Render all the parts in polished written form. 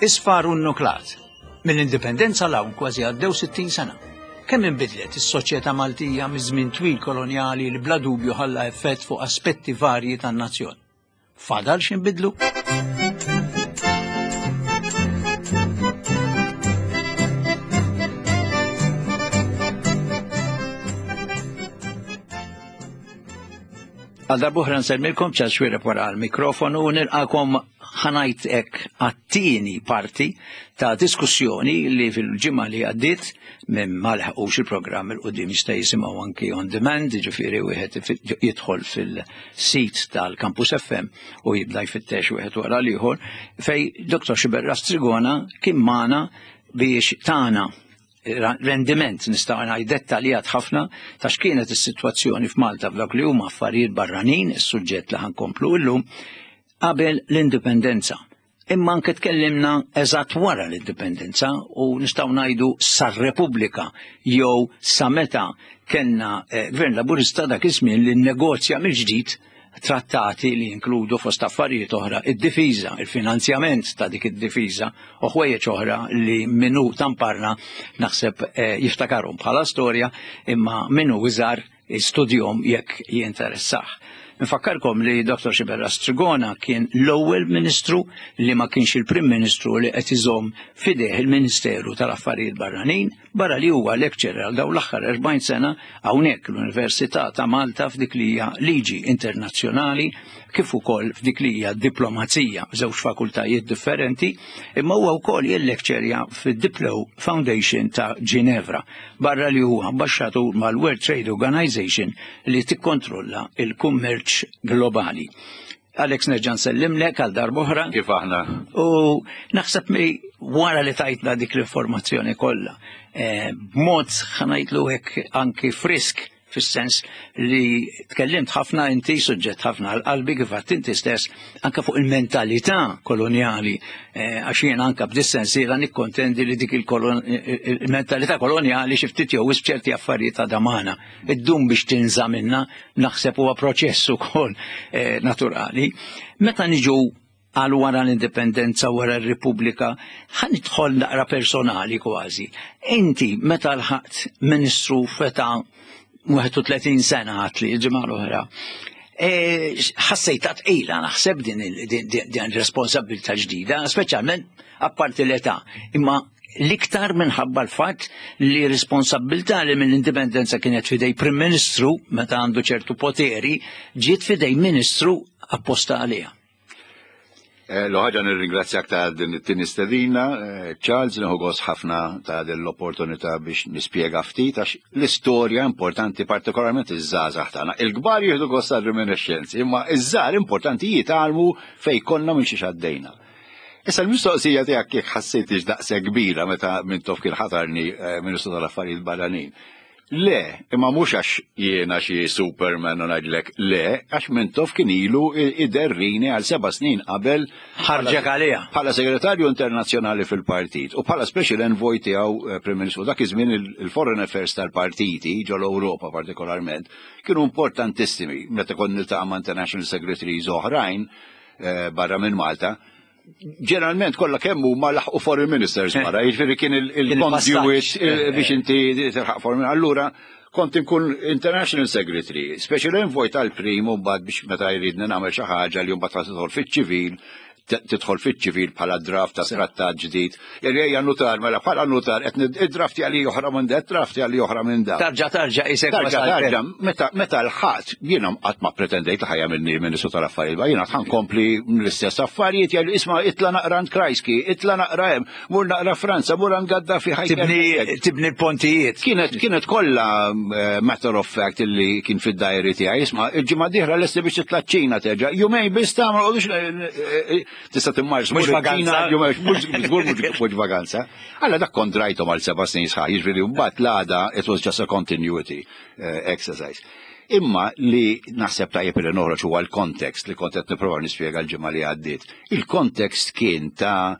Isfar u nnuklat. Mill-Indipendenza 'l hawn kważi għaddew 60 sena. Kemm inbidlet is-soċjetà Maltija miż-żmien twil kolonjali li bla dubju ħalla effett fuq aspetti varji tan-nazzjon. Fadal x'inbidlu? Għal darbuħra nsellmilkom ċas xwireb wara l-mikrofonu u nilqakom ħanajt hekk għat-tieni parti ta' diskussjoni li fil-ġimgħa li għaddiet minn ma laħqux il-programm il qudiem jista' jisimgħu anki on demand, ġifieri wieħed jidħol fil-sit tal-Campus FM u jibda jfittex wieħed wara l-ieħor fej Dr. Xiberra Strigona kien magħna biex tagħna rendiment nistgħu ngħid dettaljat ħafna ta' x'kienet is-sitwazzjoni f'Malta f'dawk li huma affarijiet barranin, is-suġġett li ħankomplu illum, qabel l-indipendenza. Imma anke tkellimna eżatt wara l-indipendenza u nistgħu ngħidu sar-Repubblika jew sa meta kellna eh, Gvern Laburista dak iż-żmien li nnegozja mill-ġdid trattati li jinkludu fost affarijiet oħra id-difiża, il-finanzjament ta' dik id-difiża u ħwejjeġ oħra li minnu tamparna naħseb eh, jiftakarhom bħala storja imma minnu iżgħar studjom jekk jinteressah. Nfakkarkom li Dr. Xiberra Strigona kien l-ewwel ministru li ma kienx il-Prim Ministru li qed iżomm fideh il-Ministeru tal-Affarijiet Barranin Barra li huwa lecturer għal dawn l-aħħar 40 sena hawnhekk l-Università ta' Malta f'dik li hija liġi internazzjonali kif ukoll f'dik li hija diplomazija, żewġ fakultajiet differenti, imma huwa wkoll jillekċerja fid-Diplo Foundation ta' Ginevra, barra li huwa ambaxxatur mal-World Trade Organization li tikkontrolla il-kummerċ globali. Alex nerġa' nsellimlek għal darb'oħra. Kif aħna? U naħseb mi wara li tajtna dik l-informazzjoni kollha, eh, b'mod ħanajtlu hekk anki frisk fis-sens li tkellimt ħafna inti suġġett ħafna għal qalbi kif għadt inti stess anke fuq il-mentalità kolonjali eh, għax jien anke b'dis-sensiela nikkontendi li dik il-mentalità kolonjali xi ftit jew wisq ċerti affarijiet ta' damana. Iddum biex tinża minna, naħseb huwa proċess ukoll eh, naturali. Meta niġu għal wara l-indipendenza wara r-Repubblika, ħa nidħol naqra personali kważi. Inti meta lħaqt ministru feta 31 sena għatli il-ġimgħa l-oħra. E, ħassejta tqila naħseb din din responsabilità ġdida, speċjalment apparti l-età. Imma l-iktar minħabba l-fatt li responsabilità li mill-indipendenza kienet fidej Prim Ministru meta għandu ċertu poteri ġiet fidej Ministru apposta għaliha. Eh, L-ħaġa nirringrazzjak ta' din it-tieni stedina, eh, Charles, nieħu gost ħafna ta' din l-opportunità biex nispjega ftit għax l-istorja importanti partikolarment iż-żgħażagħ tagħna. Il-kbar jieħdu gost għar-reminiscenzi, imma iż-żgħar importanti jitgħallmu fejn konna minn xiex għaddejna. Issa l-mistoqsija tiegħek jekk ħassejtix daqshekk kbira meta Mintoff kien ħatarni eh, Ministru tal-Affarijiet Barranin. Le, imma mhux għax jiena xi Superman u ngħidlek le, għax Mintoff kien ilu iderrini għal seba' snin qabel ħarġek għaliha. Bħala segretarju internazzjonali fil-partit u bħala special envoy tiegħu eh, Prim Ministru dak iż-żmien il-foreign affairs tal-partiti ġol Ewropa partikolarment kienu importantissimi meta kont niltaqa' ma' international secretaries oħrajn Eh, barra minn Malta, ġeneralment kollha kemm huma laħqu foreign ministers eh. wara, jiġifieri kien il-conduit eh, biex inti tilħaq foreign. Allura kont inkun international secretary, special envoy tal-prim u mbagħad biex meta jridni nagħmel xi ħaġa li mbagħad tidħol fiċ-ċivil, tidħol fiċ-ċivil bħala draft ta' trattat ġdid. Ejja nutar, mela bħala nutar, qed id-draft għali oħra minn da, draft għali oħra minn da. Tarġa tarġa isek. Tarġa tarġa, meta meta l-ħadd jiena qatt ma pretendejt li ħajja minni Ministru tal-Affarijiet, jiena ħan kompli l-istess affarijiet jgħidu isma' itla naqra għand Krajski, itla naqra hemm, mur naqra Franza, mur għand Gaddafi ħaj. Tibni tibni l-pontijiet. Kienet kienet kollha eh, matter of fact illi kien fid-dajri tiegħi, isma' il-ġimgħa dieħla lesti biex titla' ċ-Ċina terġa'. Jumejn biss tagħmel eh, eh, Tista' timmarx mhux vaganza. Mhux vaganza. Alla dak kont drajthom għal seba' snin sħaħ, jiġifieri mbagħad l-għada it was just a continuity eh, exercise. Imma li naħseb tajjeb li noħroġ huwa l-kontekst li kont qed nipprova nispjega l-ġimgħa li għaddiet. Il-kontekst kien ta'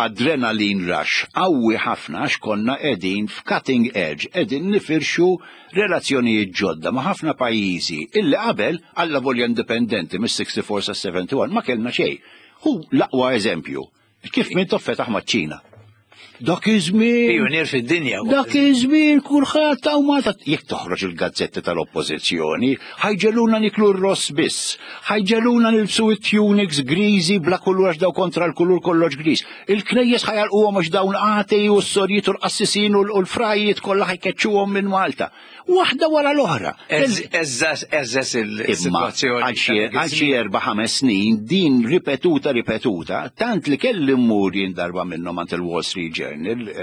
adrenaline rush qawwi ħafna għax konna qegħdin f'cutting edge, qegħdin nifirxu relazzjonijiet ġodda ma' ħafna pajjiżi illi qabel, allavolja indipendenti mis-64 sas-71, ma kellna xejn. Hu l-aqwa eżempju. Kif Mintoff fetaħ maċ-Ċina. Dak iż-żmien. Pionier fid-dinja. Dak iż-żmien kulħadd hawn Malta jekk toħroġ il-gazzetti tal-Oppożizzjoni, ħa jġegħluna niklu r-ross biss, ħa jġegħluna nilbsu it-tunics griżi bla kulur għax daw kontra l-kulur kollox griż. Il-knejjes ħa jagħlquhom għax dawn atei u s-sorijiet u l-qassisin u l-frajiet kollha ħa jkeċċuhom minn Malta. Waħda wara l-oħra. Eżżes il-situazzjoni. Għal xi 4-5 snin din ripetuta ripetuta, tant li kelli mmur jien darba minnhom għand il-Wall Street Journal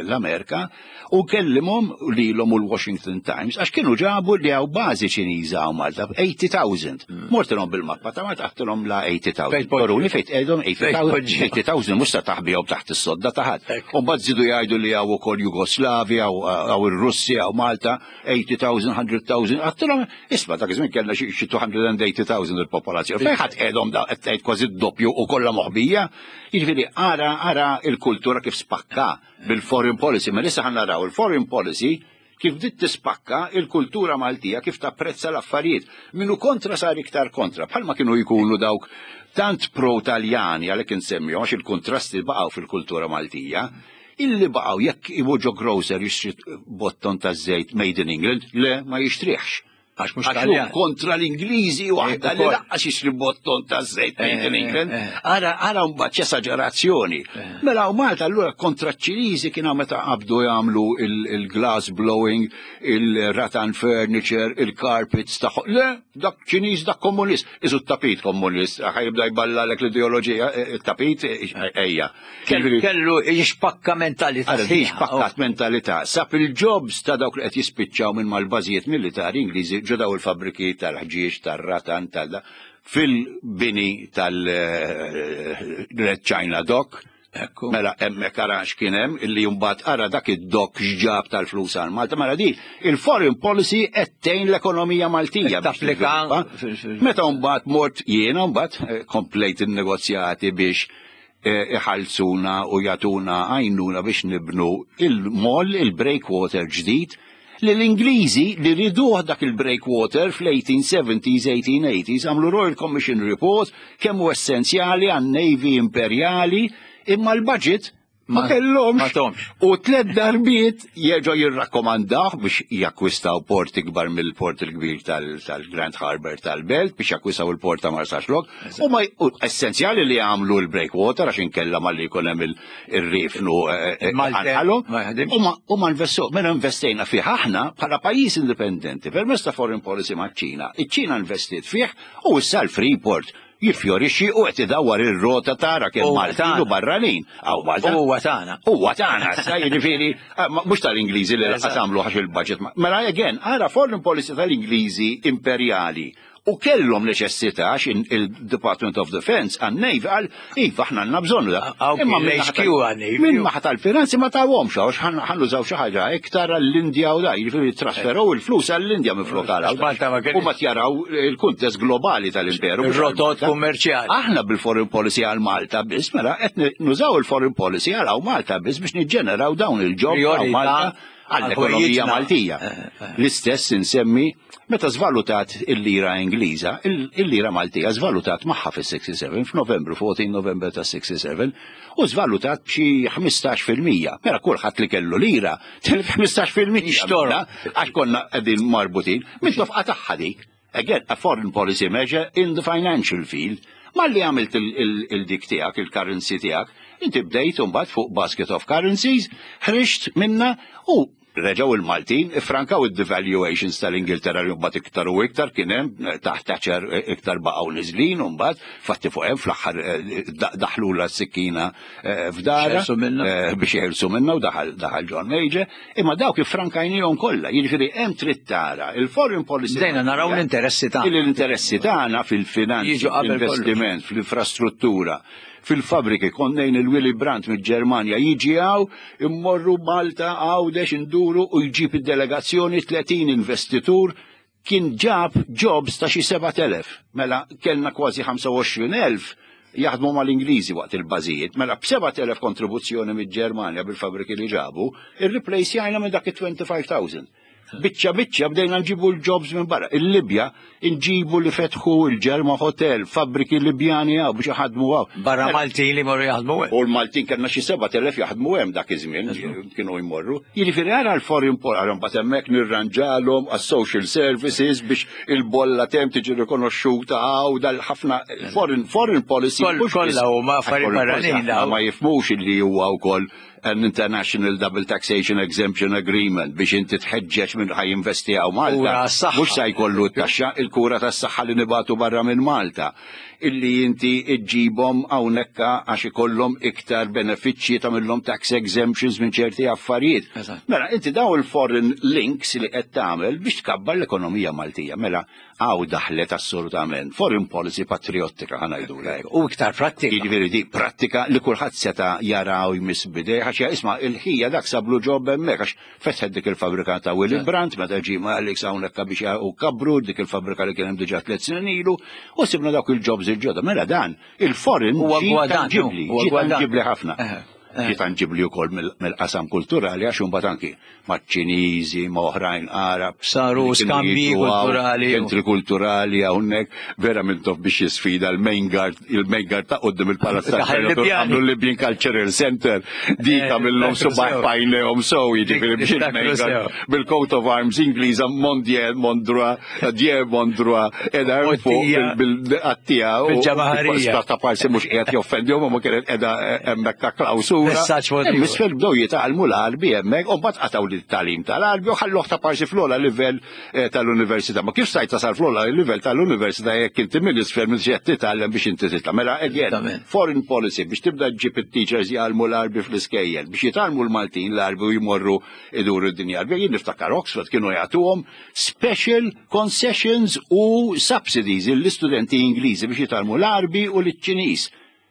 l-Amerika u kellimhom lilhom u l-Washington Times għax kienu ġabu li hawn bażi Ċiniża hawn Malta 80,000. Hmm. Mortilhom bil-mappa ta' Malta għattilhom la 80,000. Toruni fejn tqegħdhom 80,000 mhux ta' taħbihom taħt is-sodda ta' ħadd. U mbagħad żidu jgħidu li hawn ukoll Jugoslavja, hawn ir-Russja, hawn Malta, 80,000, 100,000, għattilhom, isma' dak iż-żmien kellna xi 280,000 il-popolazzjoni. Fejn ħadd qiegħdhom da qed tgħid kważi d-doppju u kollha moħbija. Jiġifieri ara ara il-kultura kif spakka bil-foreign policy, ma issa ħa naraw il-foreign policy kif bdiet tispakka il-kultura Maltija kif tapprezza l-affarijiet. Minu kontra sar iktar kontra, bħalma kienu jkunu dawk tant pro-Taljani għalhekk insemmihom għax il-kontrasti baqgħu fil-kultura Maltija, illi baqgħu jekk imur ġo grocer jixtri botton ta' żejt made in England, le ma jixtrihx. Għax mhux Taljan. Kontra l-Ingliżi waħda li lanqas jixtri botton ta' żejt made in England. Ara ara mbagħad x'esaġerazzjoni. Mela u Malta allura kontra ċ-Ċiniżi kien meta qabdu jagħmlu il-glass blowing, il-rattan furniture, il-carpets tagħhom. Le, dak Ċiniż dak komunist. Isu t-tapit komunist, ħa jibda jballalek l-ideoloġija, it-tapit ejja. Kellu jixpakka mentalità. Jixpakkat mentalità. Sab il-jobs ta' dawk li qed jispiċċaw minn mal-bażijiet militari Ingliżi ġo daw il-fabriki tal-ħġieġ, tar-ratan, tal fil-bini tal-Red China Dock. Mela hemmhekk ara x'kien hemm illi mbagħad ara dak id-dock x'ġab tal-flus għal Malta. Mela di il-foreign policy qed tgħin l-ekonomija Maltija. Tapplika. Meta mbagħad mort jiena mbagħad komplejt in-negozjati biex iħallsuna u jagħtuna għajnuna biex nibnu il-moll, il-breakwater ġdid, li l-Ingliżi li riduh dak il-breakwater fl-1870s, 1880s, għamlu Royal Commission Report kemm hu essenzjali għan-Navy Imperjali, imma l-budget ma kellhomx. U tlet darbiet jerġgħu jirrakkomandaw biex jakkwistaw port ikbar mill-port il-kbir tal-Grand Harbour tal-Belt biex jakkwistaw il-port ta' Marsaxlokk. U ma essenzjali li għamlu l-breakwater għax inkella malli jkun hemm ir-rifnu u ma investu, mela investejna fih aħna bħala pajjiż indipendenti permezz ta' foreign policy maċ-Ċina. Iċ-Ċina investit fih u issa l-Freeport jiffjorixxi u qed idawwar ir-rota tara kemm Maltin u barranin. Aw Malta. Huwa tagħna. Huwa tagħna, issa jiġifieri mhux tal-Ingliżi li laqas għamlu għax il-budget. Mela again, ara foreign policy tal-Ingliżi imperjali u kellhom neċessità għax il-Department of Defense għan-Navy qal iva aħna għandna bżonnu da. Imma l-HQ għan-Navy. Minn naħa tal-finanzi ma tawhomx għax ħa nużaw xi ħaġa iktar għall-Indja u da, jiġifieri trasferaw il-flus għall-Indja minn flok għal. U ma tjaraw il-kuntest globali tal-imperu. Ir-rotot kummerċjali. Aħna bil-foreign policy għal Malta biss, mela qed nużaw il-foreign policy għal Malta biss biex niġġeneraw dawn il-job għal Malta għall-ekonomija Maltija. L-istess insemmi meta zvalutat il-lira Ingliża, il-lira Maltija zvalutat magħha fis-67 f'Novembru, 14 November ta' 67, u zvalutat b'xi 15%. Mela kulħadd li kellu lira tilef 15%. Xtorra. Għax konna qegħdin marbutin, Mintoff qatagħha dik. Again, a foreign policy measure in the financial field. Malli għamilt il-dik tiegħek, il-currency tiegħek, inti bdejt mbagħad fuq basket of currencies, ħriġt minna u reġaw il-Maltin, ifrankaw il-devaluations tal-Ingilterra li mbagħad iktar u iktar kien hemm taħt Thatcher iktar baqgħu niżlin u mbagħad fatti fuq hemm fl-aħħar daħlu la s-sikkina f'dara biex jeħilsu minna u daħal John Major, imma dawk ifrankajnihom kollha, jiġifieri hemm trid tara il-foreign policy. Bdejna naraw l-interessi tagħna. L-interessi tagħna fil-finanzi, fl-investiment, fl-infrastruttura, fil-fabriki, konnejn il-Willy Brandt mill-Ġermanja jiġi hawn, immorru Malta, Għawdex, induru u jġib id-delegazzjoni 30 investitur kien ġab jobs ta' xi 7,000. Mela kellna kważi 25,000 jaħdmu mal-Ingliżi waqt il-bażijiet, mela b'7,000 kontribuzzjoni mill-Ġermanja bil-fabriki li ġabu, irreplace minn dak it-25,000. Biċċa biċċa bdejna nġibu l-jobs minn barra. Il-Libja nġibu li fetħu il-Ġerma Hotel, fabbriki Libjani għaw biex jaħdmu għaw. Barra mela- Maltin li morru jaħdmu hemm. U l-Maltin kellna xi 7000 jaħdmu hemm dak iż-żmien kienu jmorru. Jiġifieri ara l-foreign policy, mbagħad hemmhekk nirranġalhom għas-social services biex il-bolla tem tiġi rikonoxxuta għaw dal-ħafna foreign foreign policy. Kollha huma affarijiet barranin. Ma jifhmux li huwa wkoll an International Double Taxation Exemption Agreement biex inti tħeġġeġ minn ħaj investi għaw Malta. Mhux se jkollu t-taxxa il-kura tas-saħħa li nibatu barra minn Malta. Illi inti iġġibhom hawnhekk għax ikollhom iktar benefiċċji tagħmilhom tax exemptions minn ċerti affarijiet. Mela, inti daw il-foreign links li qed tagħmel biex tkabbar l-ekonomija Maltija. Mela, Hawn daħlet assolutament foreign policy patriottika ħa ngħidulha hekk. U iktar prattika. Jiġifieri di prattika li kulħadd seta' jara u jmiss b'idejh għax isma' il-ħija dak sablu ġob hemmhekk għax fetħet dik il-fabbrika ta' Willy Brandt meta ġie ma' Alex hawnhekk biex u kabru dik il-fabbrika li kien hemm diġà tliet snin ilu u sibna dawk il-jobs il-ġodda. Mela dan il-foreign ġie tanġibli, ġie tanġibli ħafna. Ġie tanġibli wkoll mill-qasam kulturali għax imbagħad anki maċ-Ċiniżi, ma' oħrajn Arab. Saru skambji kulturali. Ċentri kulturali hawnhekk vera Mintoff biex jisfida l-main guard, il-main guard ta' quddiem il-Palazz tal-Gvernatur għamlu Libyan Cultural Center. Dik eh, għamillhom subaħ bajnehom sew jiġifieri biex il-main guard bil-coat of arms Ingliża Mondier Mondra Die Mondra edha fuq bil-qattija u bil-ġamaħarija. Ta' parsi mhux qiegħed joffendihom ma kienet qiegħda hemmhekk ta' klawsura. Misfel bdew jitgħallmu l-Arbi hemmhekk u mbagħad qatgħu lit-tagħlim tal-Arbi u ħalluh ta' parsi fl-ogħla livell eh, tal-università. Ma kif stajt tasal fl-ogħla livell tal-università jekk inti minn isfel minn xi titgħallem biex inti titla'. Mela again, foreign policy biex tibda ġġib it-teachers jgħallmu l-Arbi fl-iskejjel, biex jitgħallmu l-Maltin l-Arbi u jmorru iduru d-dinja Arbija. Jien niftakar Oxford kienu jagħtuhom special concessions u subsidies l-istudenti Ingliżi biex jitgħallmu l-Arbi u l-Ċiniż.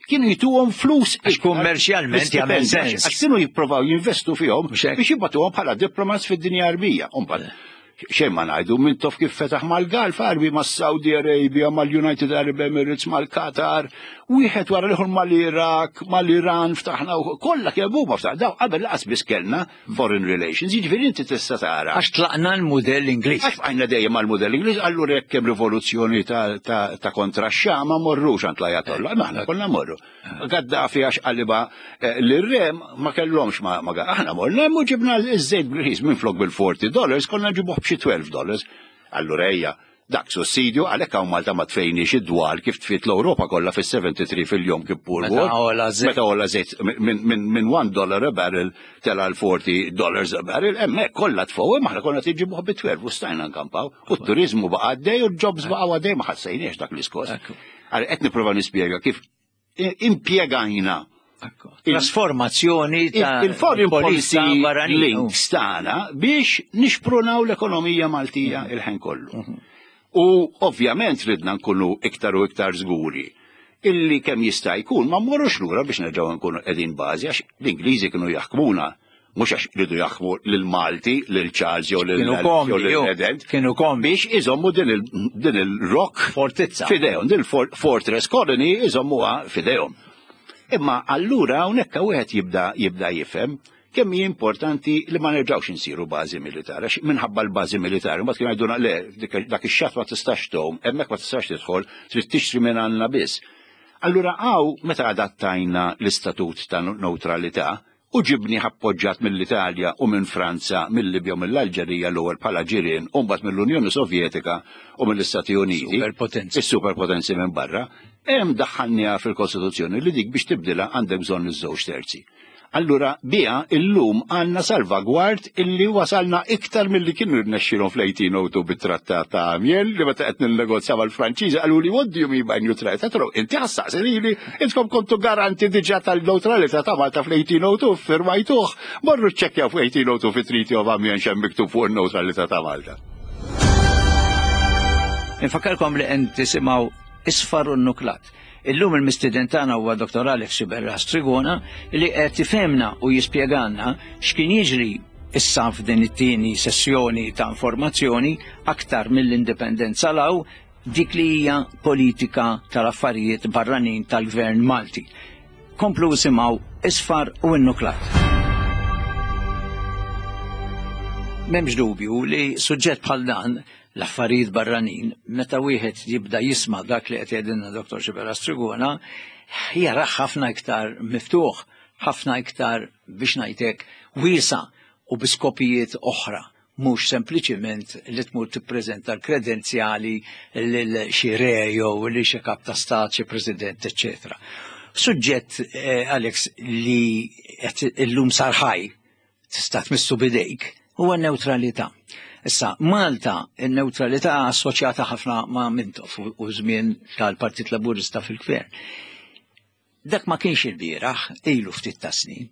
Kienu jituhom flus għax kummerċjalment jagħmel sens. Għax kienu jipprovaw jinvestu fihom biex jibatuhom bħala diplomats fid-dinja Arbija. Umbagħad xejn ma ngħidu Mintoff kif fetaħ mal-Gulf Arbi mas-Saudi Arabia, mal-United Arab Emirates, mal-Qatar, wieħed wara l-ieħor mal-Iraq, mal-Iran ftaħna kollha kemm huma ftaħ. Daw qabel laqas biss kellna foreign relations, jiġifieri inti tista' tara. Għax tlaqna l-mudell Ingliż. Għax bqajna dejjem mal-mudell Ingliż, allura jekk hemm rivoluzzjoni ta' kontra x-Xah ma morrux għand l-Ajatollah, imma aħna konna morru. Gaddafi għax qaliba eh, l-re ma kellhomx ma aħna morna hemm u ġibna ż-żejt bil-ħis minflok bil-40 dollars konna ġibuh b'xi 12 dollars. Allura ejja, Dak sussidju għalhekk hawn Malta ma tfejniex id-dwal kif tfiet l-Ewropa kollha fis-73 fil-Yom Kippur War. Meta għola żejt minn 1 dollar a barrel tela' l 40 dollars a barrel, hemmhekk kollha tfgħu imma aħna konna tiġibuh bi 12 u stajna nkampaw. U t-turiżmu baqa' għaddej u l-jobs baqgħu għaddej ma ħassejniex dak l-iskos. Għal qed nipprova nispjega kif impjegajna Trasformazzjoni ta' il-foreign policy links tagħna biex nixprunaw l-ekonomija Maltija mhm. il-ħin kollu. Mhm. U ovvjament ridna nkunu iktar u iktar żguri illi kemm jista' jkun ma mmorrux lura biex nerġgħu nkunu qegħdin bażi għax l-Ingliżi kienu jaħkmuna mhux għax ridu jaħkmu lil Malti, lil Charles jew lil President. Kienu kom biex iżommu din il-rock fortizza fidejhom, din il-fortress colony iżommuha fidejhom. Imma allura hawnhekk wieħed jibda jibda jifhem kemm hi importanti li ma nerġgħux insiru bażi militari, għax minħabba l-bażi militari, mbagħad kienu jgħiduna le, dak ix-xatt ma tistax tgħum, hemmhekk ma tistax tidħol, trid tixtri minn għandna biss. Allura hawn meta adattajna l-istatut ta' neutralità, u ġibnih appoġġat mill-Italja u minn Franza, mil-Libja u mill-Alġerija l-ewwel bħala ġirien u mbagħad mill-Unjoni Sovjetika u mill-Istati Uniti, Superpotenzi. is-superpotenzi minn barra, hemm daħħalniha fil-Kostituzzjoni li dik biex tibdilha għandek bżonn iż-żewġ terzi. Allura biha illum għandna salvagward illi wasalna iktar milli kienu rnexxilhom fl-1802 bit-Trattat ta' Amiens li meta qed ninnegozja mal-Franċiżi qaluli what do you mean by neutrality? Għedtilhom inti ħassaqsi lili Intkom kontu garanti diġà tal-neutralità ta' Malta fl-1802 firmajtuh, morru ċċekkjaw fl-1802 fit-Treaty of Amiens x'hemm miktub fuq in-neutralità ta' Malta. Infakkarkom li qed tisimgħu Isfar u Nuklat. Illum il-mistieden tagħna huwa Dr. Alex Sciberras Trigona li qed ifhemna u jispjegalna x'kien jiġri issa f'din it-tieni sessjoni ta' informazzjoni aktar mill-indipendenza law dik li hija politika tal-affarijiet barranin tal-Gvern Malti. Komplu isimgħu Isfar u Innuklat. M'hemmx dubju li suġġett bħal dan l-affarijiet barranin, meta wieħed jibda jisma' dak li qed jgħidilna Dr. Xiberras Trigona, jarah ħafna iktar miftuħ, ħafna iktar biex ngħidlek wiesa' u bi skopijiet oħra mhux sempliċiment li tmur tippreżenta l-kredenzjali lil xi re jew li xi kap ta' stat, xi president, eċċetera. Suġġett, eh, Alex, li qed illum sar ħaj tista' tmissu bidejk huwa n-newtralità. Issa, Malta, in-newtralità assoċjata ħafna ma' Mintoff u żmien tal-Partit Laburista fil-Gvern. Dak ma kienx il-bieraħ, ilu ftit ta' snin.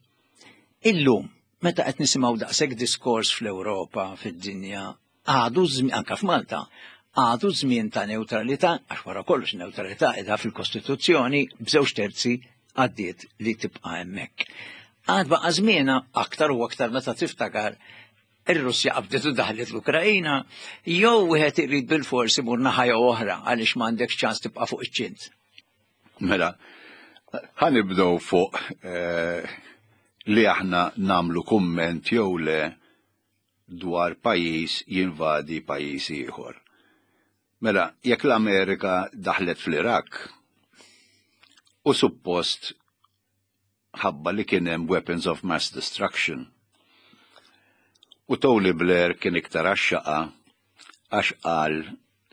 Illum, meta qed nisimgħu daqshekk diskors fl-Ewropa, fid-dinja, għadu anka f'Malta, għadu żmien ta' newtralità, għax wara kollox newtralità qiegħda fil-Kostituzzjoni b'żewġ terzi għaddiet li tibqa' hemmhekk. Għad baqa' żmienha aktar u aktar meta tiftakar ir-Russja qabdet u daħlet l-Ukrajina, jew wieħed irid bil-forsi imur naħa jew oħra għaliex m'għandekx ċans tibqa' fuq iċ-ċint. Mela, ħanibdew fuq eh, li aħna namlu kumment jew le dwar pajjiż jinvadi pajjiż ieħor. Mela, jekk l-Amerika daħlet fl-Iraq u suppost ħabba li kien hemm weapons of mass destruction. U Tony Blair kien iktar għax-xaqa għax qal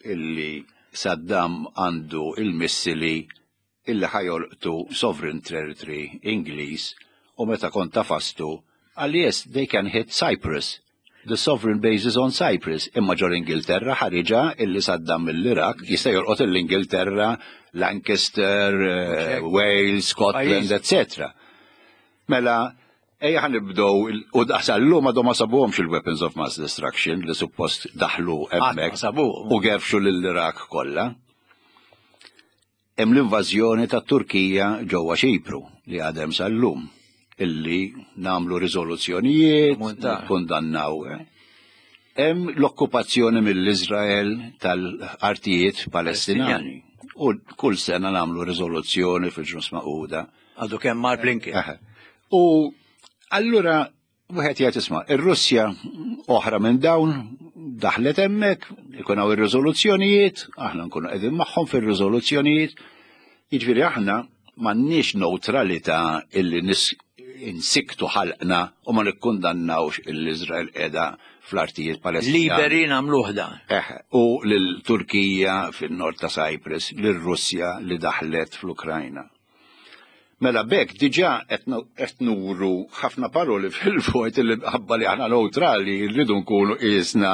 illi Saddam għandu il-missili illi ħa jolqtu sovereign territory Ingliż u meta kont tafastu qal yes, they can hit Cyprus. The sovereign base is on Cyprus. Imma ġol Ingilterra ħariġa illi Saddam mill-Iraq jista' jolqot l-Ingilterra, Lancaster, eh, Wales, Scotland, etc. Mela, ejja ħa nibdew u sal-lum għadhom ma sabuhomx il-weapons of mass destruction li suppost daħlu hemmhekk u gerfxu lill-Iraq kollha. Hemm l-invażjoni tat-Turkija ġewwa Ċipru li għadhem sal-lum illi nagħmlu riżoluzzjonijiet, kundannaw. Eh. Hemm l-okkupazzjoni mill-Iżrael tal-artijiet Palestinjani. U kull sena nagħmlu riżoluzzjoni fil-Ġnus Magħquda. Għadu kemm mar Blinken. U allura Wieħed jgħid isma' ir-Russja oħra minn dawn daħlet hemmhekk, ikun hawn ir-riżoluzzjonijiet, aħna nkunu qegħdin magħhom fir-riżoluzzjonijiet. Jiġifieri aħna m'għandniex neutralità illi nis insiktu ħalqna u ma nikkundannawx l-Iżrael qiegħda fl-artijiet Palestinjani. Liberi nagħmluh dan. Eh, u lil-Turkija fin-nord ta' Cyprus, lir-Russja li daħlet fl-Ukrajna. Mela b'hekk diġà qed nuru ħafna paroli fil-vojt li ħabba li aħna neutrali rridu nkunu qisna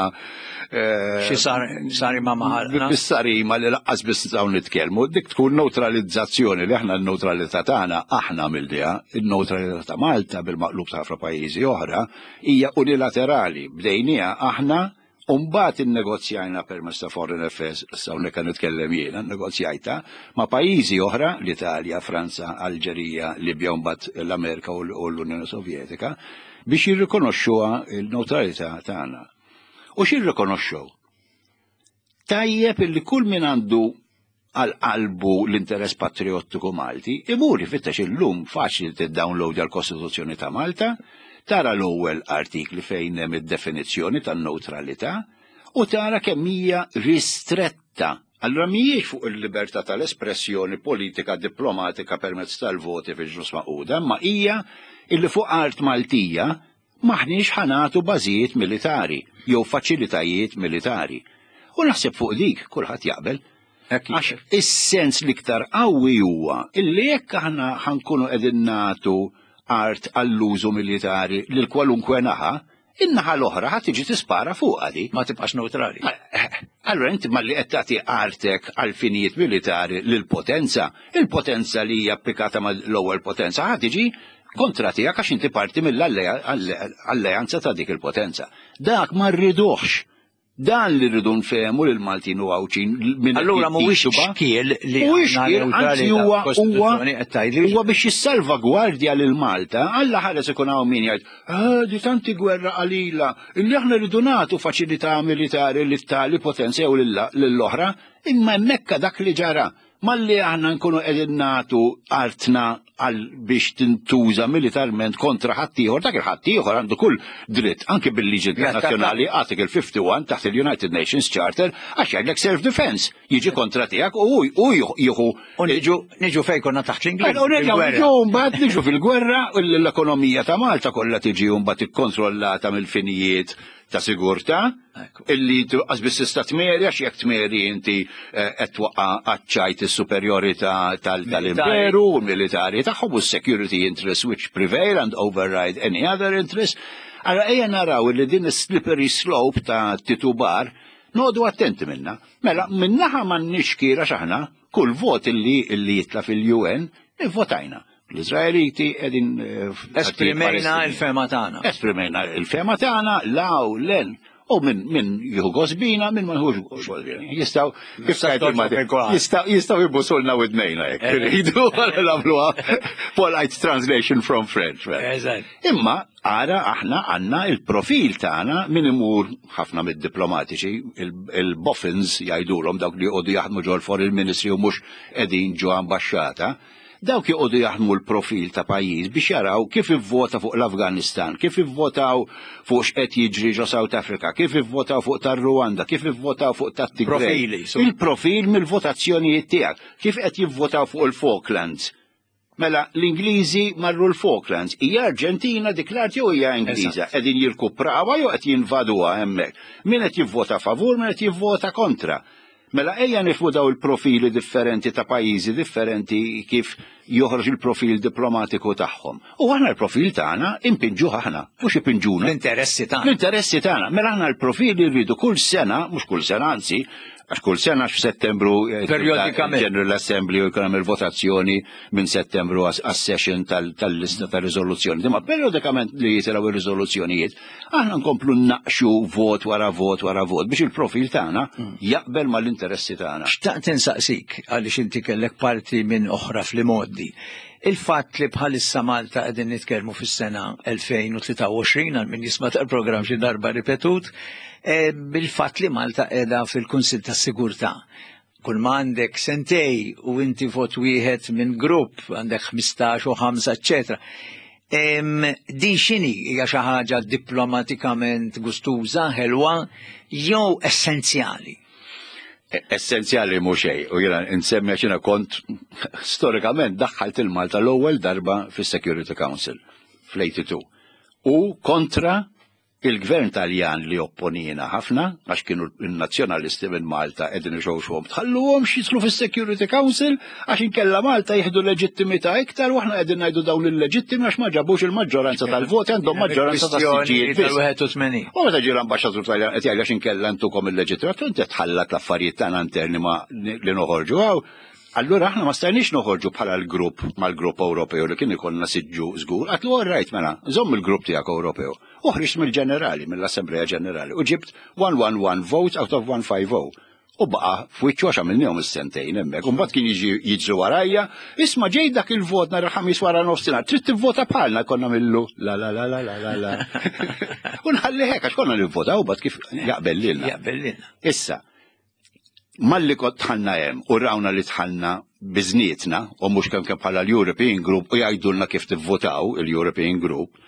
eh, xi sarima maħalna. Bis-sarima li laqqas biss nistgħu nitkellmu, dik tkun neutralizzazzjoni li aħna n-neutralità tagħna aħna għamilniha, in-neutralità ta' Malta bil-maqlub ta' ħafna pajjiżi oħra hija unilaterali, bdejniha aħna U mbagħad innegozjajna permezz ta' Foreign Affairs, issa hawnhekk qed nitkellem jiena, nnegozjajta ma' pajjiżi oħra, l-Italja, Franza, Alġerija, Libja u mbagħad l-Amerika u l-Unjoni Sovjetika, biex jirrikonoxxuha l-newtralità tagħna. U x'irrikonoxxew? Tajjeb illi kull min għandu għal qalbu l-interess patriottiku Malti, imur ifittex illum faċli tiddownloadja l-Kostituzzjoni ta' Malta, tara l-ewwel artikli fejn hemm id-definizzjoni tan-newtralità u tara kemm hija ristretta. Allura mhijiex fuq il-libertà tal-espressjoni politika diplomatika permezz tal-voti fil-Ġnus Magħquda, imma hija illi fuq art Maltija M'aħniex ħa nagħtu bażijiet militari jew faċilitajiet militari. U naħseb fuq dik kulħadd jaqbel. Għax is-sens l-iktar qawwi huwa illi jekk aħna ħankunu qegħdin nagħtu art għall-użu militari lil kwalunkwe naħa, in-naħa l-oħra ħa tiġi tispara fuqha di. Ma tibqax neutrali. Allura inti malli qed tagħti artek għal finijiet militari lil potenza, il-potenza li hija applikata mal-ewwel potenza ħa tiġi kontra tiegħek għax inti parti mill-alleanza ta' dik il-potenza. Dak ma rriduhx. Dan li rridu nfehmu lil Maltin u Għawdxin minn Allura mhuwiex xkiel li mhuwiex xkiel, anzi huwa huwa huwa biex jissalvagwardja lil Malta, Alla ħares ikun hawn min jgħid, ah, di tanti gwerra qalila, illi aħna rridu nagħtu faċilità militari lit tali potenza jew lill-oħra, imma hemmhekk dak li ġara. Malli aħna nkunu qegħdin nagħtu artna għal biex tintuża militarment kontra ħaddieħor, dak il-ħaddieħor għandu kull dritt anke bil-liġi internazzjonali Article 51 taħt il-United Nations Charter għax jgħidlek self-defense, jiġi kontra tiegħek u hu jieħu. U niġu niġu fejn konna taħt l-Ingliż. U niġu mbagħad niġu fil-gwerra u l-ekonomija ta' Malta kollha tiġi mbagħad ikkontrollata mill-finijiet ta' sigurtà illi tibqas biss tista' tmeri għax jekk tmeri inti eh, qed twaqqa' għaċ-ċajt is-superjorità tal-imperu u militari tagħhom u s-security interests which prevail and override any other interest. Allora ejja naraw li din is-slippery slope ta' titubar noqogħdu attenti minna. Mela minnaħa m'għandniex kira x'aħna kull vot illi jitla' fil-UN ivvotajna. L-Izraeliti qegħdin eh, Esprimejna il-fema tagħna. Esprimejna il-fema tagħna law len u minn min jieħu gosbina, minn ma jħux gosbina. Jistgħu kif tgħid jistgħu jibbusulna widnejna jekk eh. iridu nagħmluha polite translation from French. Imma ara aħna għandna il-profil tagħna min imur ħafna mid-diplomatiċi, il-boffins jgħidulhom dawk li jqogħdu jaħdmu ġol foreign ministry u mhux qegħdin ġo ambaxxata Dawk joqogħdu jaħdmu l-profil ta' pajjiż biex jaraw kif ivvota fuq l-Afganistan, kif ivvotaw fuq x'qed jiġri ġo South Africa, kif ivvotaw fuq tar-Rwanda, kif ivvotaw fuq tat-Tigray. Il-profil mill-votazzjonijiet tiegħek, kif qed jivvotaw fuq il-Falklands. Mela l-Ingliżi marru l-Falklands, hija Arġentina dik l-art jew hija Ingliża, qegħdin jirkuprawha jew qed jinvaduha hemmhekk. Min qed jivvota favur, min qed jivvota kontra. Mela ejja nifhmu daw il-profili differenti ta' pajjiżi differenti kif joħroġ il-profil diplomatiku tagħhom. U aħna l-profil tagħna impinġuh aħna, mhux ipinġuna. L-interessi tagħna. L-interessi tagħna. Mela aħna l-profili rridu kull sena, mhux kull sena anzi, għax kull sena f'Settembru eh, periodikament General Assembly u jkun hemm il-votazzjoni minn Settembru għas-session tal-lista ta' riżoluzzjoni. Imma periodikament li jitilgħu ir-riżoluzzjonijiet Aħna nkomplu naqxu vot wara vot wara vot biex il-profil tagħna mm. jaqbel mal-interessi tagħna. Xtaqt insaqsik għaliex inti kellek parti minn oħra fl-imoddi. Il-fatt li bħalissa Malta qegħdin nitkellmu fis-sena 2023 għal min jisma' tal-programm xi darba ripetut, e, bil-fatt li Malta qiegħda fil-Kunsill tas-Sigurtà kull ma għandek sentej u inti vot wieħed minn grupp għandek 15 u 5 eċetera. Din xini hija xi ħaġa diplomatikament gustuża, ħelwa jew essenzjali? E, essenzjali mhu xejn, u jiena nsemmi għax jiena kont storikament daħħalt il-Malta l-ewwel darba fis-Security Council fl-82. U kontra Il-Gvern Taljan li opponiena ħafna, għax kienu n-nazzjonalisti minn Malta qegħdin ixewxuhom tħalluhomx jidħlu fis-Security Council għax inkella Malta jieħdu leġittimità iktar u aħna qegħdin ngħidu dawn illeġittimi għax ma ġabux il-maġġoranza tal-voti għandhom maġġoranza tas-siġġijiet biss. U meta ġie l-ambaxxatur Taljan qed jgħid għax inkella ntukom il-leġittimità, inti tħallat l-affarijiet tagħna interni ma li noħorġu hawn. Allura aħna ma stajniex noħorġu bħala l-grupp mal-grupp Ewropew li kien ikollna siġġu żgur. Għatlu all right mela, żomm il-grupp tiegħek Ewropew. U ħriġt mill-ġenerali, mill-Assembleja Ġenerali u ġibt 111 votes out of 150. U baqa f'wiċċu għax għamilnihom is-sentejn hemmhekk. U mbagħad kien jiġi jiġri warajja, isma' ġej dak il-vot nhar il-ħamis wara nofsinhar, trid tivvota bħalna konna millu la la la la la la la. U nħalli hekk għax konna nivvotaw bad kif jaqbel lilna. Jaqbel lilna. Issa, Malli kont dħalna hemm u rawna li dħalna biżnietna u mhux kemm kemm bħala l-European Group u jgħidulna kif tivvotaw il-European Group,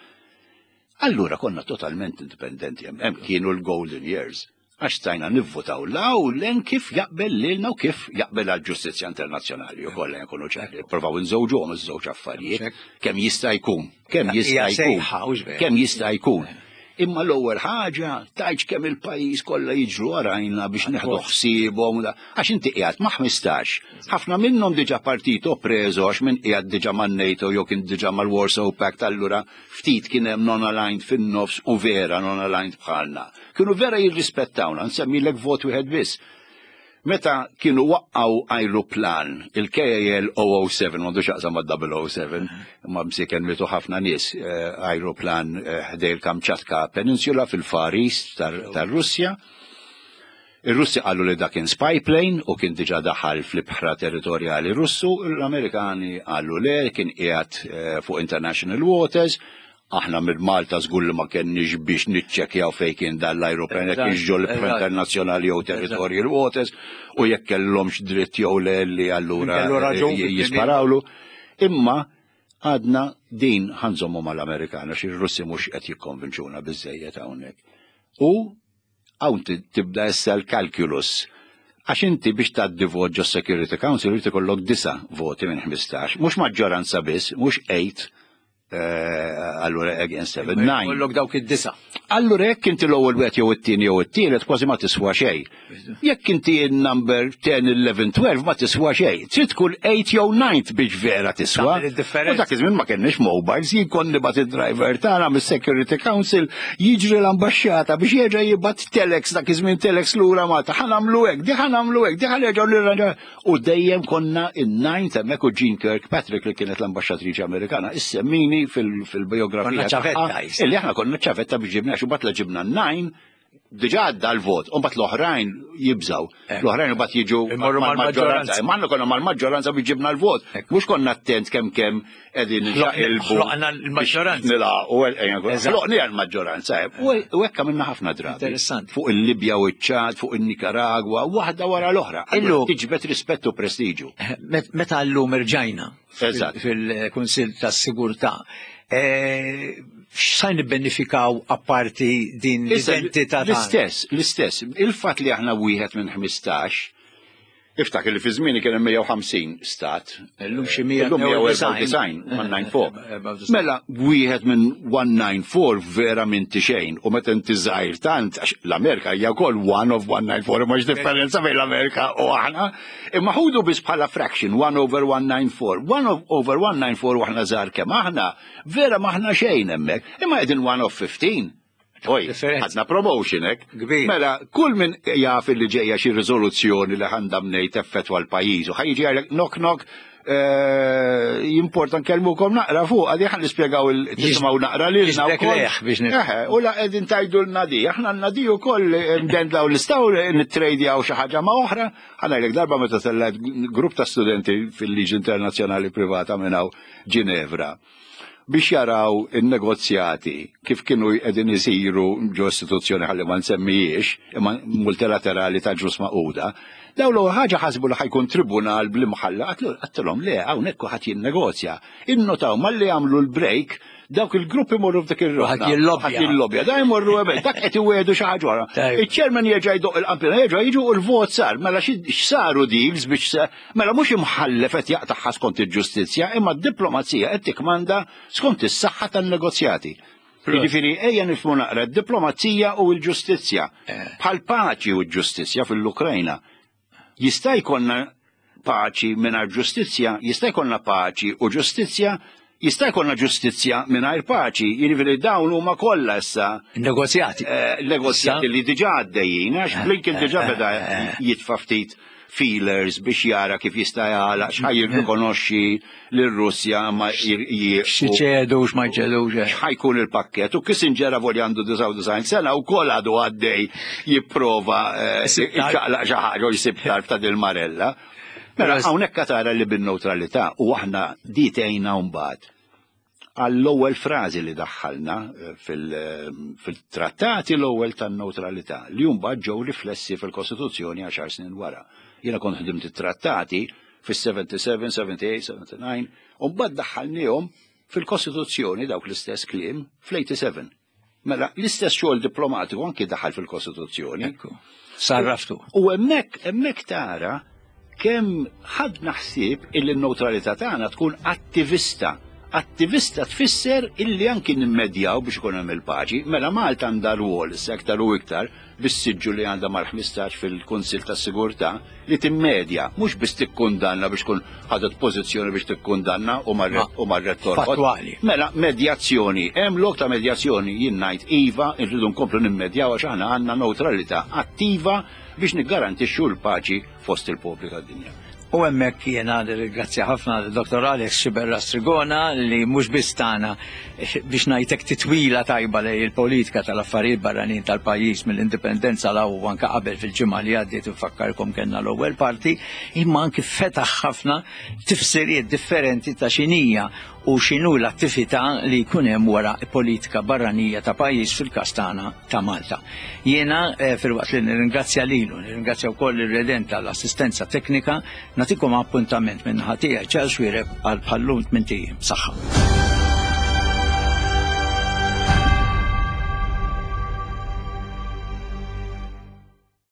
allura konna totalment indipendenti hemm. Hemm kienu l-golden years għax stajna nivvotaw la u len kif jaqbel lilna u kif jaqbel għall-ġustizzja internazzjonali u kollha nkunu ċari. Provaw nżewġuhom iż-żewġ affarijiet kemm jista' jkun, kemm jista' jkun, kemm jista' jkun. Imma l-ewwel ħaġa tgħidx kemm il-pajjiż kollha jiġru warajna biex neħdu ħsiebhom għax inti qiegħed ma' 15. Ħafna minnhom diġà partito preso għax min qiegħed diġà man-NATO jew kien diġà mal-Warsaw Pact allura ftit kien hemm non-aligned fin-nofs u vera non-aligned bħalna. Kienu vera jirrispettawna, nsemmilek vot wieħed biss. Meta kienu waqqgħu ajruplan, il-KAL 007, m'għandu x'jaqsam mad-007, imma msieken mietu ħafna nies, eh, ajruplan eh, ħdej il-Kamchatka Peninsula fil-Far East tar-Russja. Ir-Russi qalu li dak kien spy plane u kien diġà daħal fl-ibħra territorjali Russu, l-Amerikani qalu le kien qiegħed eh, fuq international waters, Aħna minn Malta żgur li ma kenniex biex niċċekkjaw fejn kien dan l-ajruplan jekk kienx ġol internazzjonali jew territorial waters u jekk kellhomx dritt jew le li allura jisparawlu. Imma Għadna din ħa nżommu mal-Amerikana xi Russi mhux qed jikkonvinċuna biżejjed hawnhekk. U hawn tibda issa l-calculus. Għax inti biex tgħaddi vot ġo Security Council irid ikollok disa' voti minn 15, mhux maġġoranza biss, mhux 8 allura against 7, 9. Kollok dawk id-disa. Allura jekk inti l-ewwel wieħed jew it-tieni jew it-tielet kważi ma tiswa xejn. Jekk inti number 10, 11, 12 ma tiswa xejn. Trid tkun 8 jew 9 biex vera tiswa. U dak iż-żmien ma kenniex mobiles, jien kont nibgħat id-driver tagħna mis-Security Council jiġri l-ambaxxata biex jerġa' jibgħat telex dak iż-żmien telex lura Malta. Ħa nagħmlu hekk, di ħa nagħmlu hekk, di ħa nerġgħu nirranġaw. U dejjem konna in-ninth hemmhekk u Jean Kirkpatrick li kienet l-ambaxxatriċi Amerikana issemmini fil-biografija. Konna ċavetta. Illi aħna konna ċavetta biex ġibna, xi la ġibna n-nine, diġà għadda l-vot, u mbagħad l-oħrajn jibżaw. L-oħrajn mbagħad jiġu mal-maġġoranza. Imma aħna konna mal-maġġoranza biex ġibna l-vot. Mhux konna attent kemm kemm qegħdin nxaqilbu. Ħloqna l-maġġoranza. Nilaqu, ħloqni l-maġġoranza. U hekk għamilna ħafna drabi. Interessanti. Fuq il-Libja u ċ-Ċad, fuq il-Nikaragwa, waħda wara l-oħra. Illu tiġbed rispett u prestiġu. Meta llum irġajna fil-Kunsill tas-Sigurtà, x'sa nibbenifikaw apparti din l-identità? L-istess, l-istess. Il-fatt li aħna wieħed minn 15 Iftakar li fi żmieni kien hemm 150 stat. Illum xi 194, 194. Mela wieħed minn 194 vera minn xejn u meta inti żgħir tant għax l-Amerika hija wkoll one of 194 mhux differenza bejn l-Amerika u aħna. Imma ħudu biss bħala fraction 1 over 194. 1 over 194 u aħna żgħar kemm aħna, vera m'aħna xejn hemmhekk. Imma qegħdin 1 of 15. Oj, għadna promotion hekk. Kbir. Mela, kull min jaf li ġejja xi riżoluzzjoni li ħandha mnejn teffettwa l-pajjiż u ħajġi jgħidlek knock knock jimporta nkellmukom naqra fuq għadi ħan nispjegaw il-tisimgħu naqra lilna wkoll. biex U la qegħdin tajdu l-nadi, aħna l-nadi wkoll ndendlaw l-istaw nitrejdjaw xi ħaġa ma' oħra. Ħa ngħidlek darba meta tellgħet grupp ta' studenti fil-liġi internazzjonali privata minn hawn Ginevra biex jaraw in-negozjati kif kienu qegħdin isiru ġo istituzzjoni ħalli ma nsemmijiex, imma multilaterali ta' Ġnus Magħquda, daw l ħaġa ħasbu li ħa jkun tribunal bl-imħalla, għedtilhom le, hawnhekk kulħadd jinnegozja. Innotaw malli jagħmlu l-break, dawk il-gruppi morru f'dik ir-roħna. Ħadd jillobbja. Da jmorru hemmhekk, dak qed iwiegħdu xi ħaġa oħra. Iċ-chairman jerġa' jdoq il-qampina, jerġa' jiġu u l-vot sar. Mela x'saru deals biex Mela mhux imħallef qed jaqtagħha skont il-ġustizzja, imma d-diplomazija qed tikmanda skont is-saħħa tan-negozjati. Jiġifieri ejja nifhmu naqra d-diplomazija u l-ġustizzja. Bħal paċi u l-ġustizzja fil-Ukrajna. Jista' jkollna paċi mingħajr ġustizzja, jista' jkollna paċi u ġustizzja, jista' jkollna ġustizzja mingħajr paċi. Jiġifieri dawn huma kollha issa Negozjati. Negozjati li diġà għaddejjin, għax Blinken diġà beda jitfa' ftit feelers biex jara kif jista' jagħlaq x'ħa jirrikonoxxi lir-Russja ma jieqfu. X'ċedu x'ma jċedux. X'ħa jkun il-pakkett. U Kissinger avolja għandu 99 sena wkoll għadu għaddej jipprova jċaqlaq xi ħaġa u jsib tarf ta' dil-marella. Mela hawnhekk tara li bin-newtralità u aħna di tgħinna mbagħad għall-ewwel frażi li daħħalna fil-trattati l-ewwel tan-newtralità li mbagħad ġew riflessi fil-Kostituzzjoni 10 snin wara. Jiena kont ħdimt it-trattati fis-77, 78, 79, u mbagħad daħħalniehom fil-Kostituzzjoni dawk l-istess kliem fl-87. Mela, l-istess xogħol diplomatiku anki daħal fil-Kostituzzjoni. Ekku, sarraftu. U hemmhekk hemmhekk tara kemm ħadna ħsieb illi n-neutralità tagħna tkun attivista. Attivista tfisser illi anki nimmedjaw biex ikun hemm il-paċi. Mela Malta għandha rwol issa iktar u iktar bis-siġġu li għandha mal-15 fil-Kunsill tas-Sigurtà li timmedja, mhux biss tikkundanna biex tkun ħadet pożizzjoni biex tikkundanna u marret torqod. Fattwali. Mela medjazzjoni, hemm lok ta' medjazzjoni jien ngħid iva, irridu nkomplu nimmedjaw għax aħna għandna neutralità attiva biex niggarantixxu l-paċi fost il-popli tad-dinja. U hemmhekk jiena nirringrazzja ħafna Dr. Alex Sciberras Trigona li mhux biss tagħna biex ngħidlek titwila tajba lejn il-politika tal-affarijiet barranin tal-pajjiż mill-indipendenza 'l hawn u anke qabel fil-ġimgħa li għaddiet infakkarkom kellna l-ewwel parti, imma anki fetaħ ħafna tifsiriet differenti ta' x'inhija. u x'inhu l-attività li jkun hemm wara politika barranija ta' pajjiż fil-każ tagħna ta' Malta. Jiena eh, filwaqt li nirringrazzja lilu, nirringrazzja wkoll ir-Redent tal-assistenza teknika, nagħtikom appuntament minn ħatija Charles Xuereb għal bħallum tmint ijiem. Saħħa.